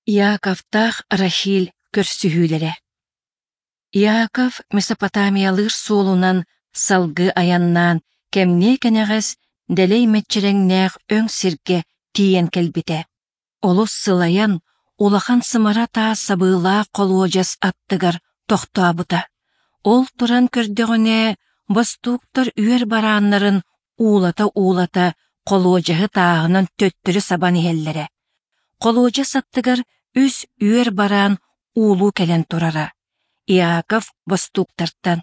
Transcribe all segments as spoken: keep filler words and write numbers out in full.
Иаковтаах Рахиль көрсүһүүлэрэ. Иаков Месопотамиялыыр суолунан салгыы айаннаан, кэмниэ кэнэҕэс дэлэй мэччирэҥнээх өҥ сиргэ тиийэн кэлбитэ. Олус сылайан, улахан сымара таас сабыылаах холуодьас аттыгар тохтообута. Ол туран көрдөҕүнэ, бостууктар үөр барааннарын уулата-уулата холуодьаһы тааһынан төттөрү сабан иһэллэрэ. Холуодьас аттыгар үс үөр бараан уулуу кэлэн турара. Иаков бостууктартан: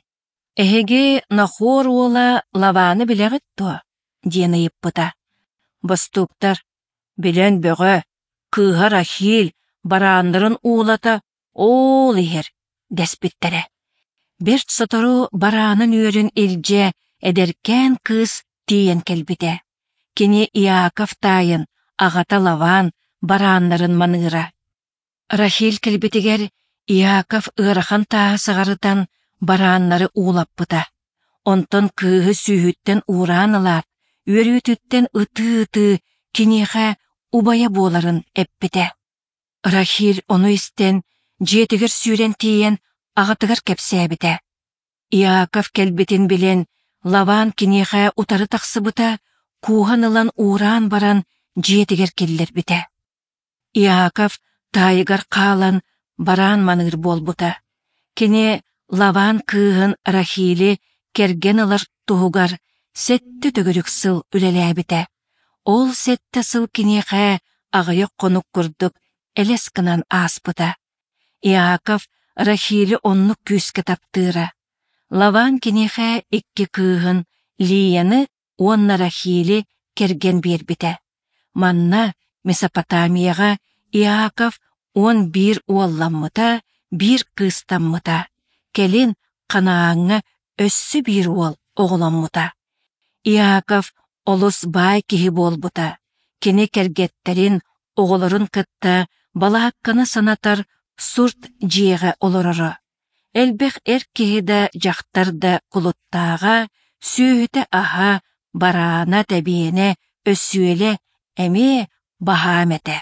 «Эһиги Нахор уола Лаваны билэҕит дуо?» диэн ыйыппыта. Бостууктар: «Билэн бөҕө, кыыһа Рахиль барааннарын уулата оол иһэр» дэспиттэрэ. Бэрт сотору бараанын үөрүн илдьэ эдэркээн кыыс тиийэн кэлбитэ. Кини Иаков таайын, аҕата Лаван барааннарын маныыра. Рахиль кэлбитигэр Иаков ыарахан тааһы сыҕарытан барааннары уулаппыта. Онтон кыыһы сүүһүттэн уураан ылаат, үөрүүтүттэн ытыы-ытыы киниэхэ убайа буоларын эппитэ. Рахиль ону истэн, дьиэтигэр сүүрэн тиийэн аҕатыгар кэпсээбитэ. Иаков кэлбитин билэн, Лаван киниэхэ утары тахсыбыта, кууһан ылан уураан баран дьиэтигэр киллэрбитэ. Иаков таайыгар хаалан бараан маныыр буолбута. Кини Лаван кыыһын Рахили кэргэн ылар туһугар сэттэ төгүрүк сыл үлэлээбитэ. Ол сэттэ сыл киниэхэ аҕыйах хонук курдук элэс гынан ааспыта. Иаков Рахили оннук күүскэ таптыыра. Лаван киниэхэ икки кыыһын Лияны уонна Рахили кэргэн биэрбитэ. Манна Месопотамияҕа Иаков уон биир уолламмыта, биир кыыстаммыта. Кэлин Ханааҥҥа өссө биир уол оҕоломмута. Иаков олус баай киһи буолбута. Кини кэргэттэрин, оҕолорун кытта балаакканы санатар сурт дьиэҕэ олороро. Элбэх эр киһи да, дьахтар да кулуттааҕа, сүөһүтэ-аһа, бараана, тэбиэнэ, өсүөлэ эмиэ баһаам этэ.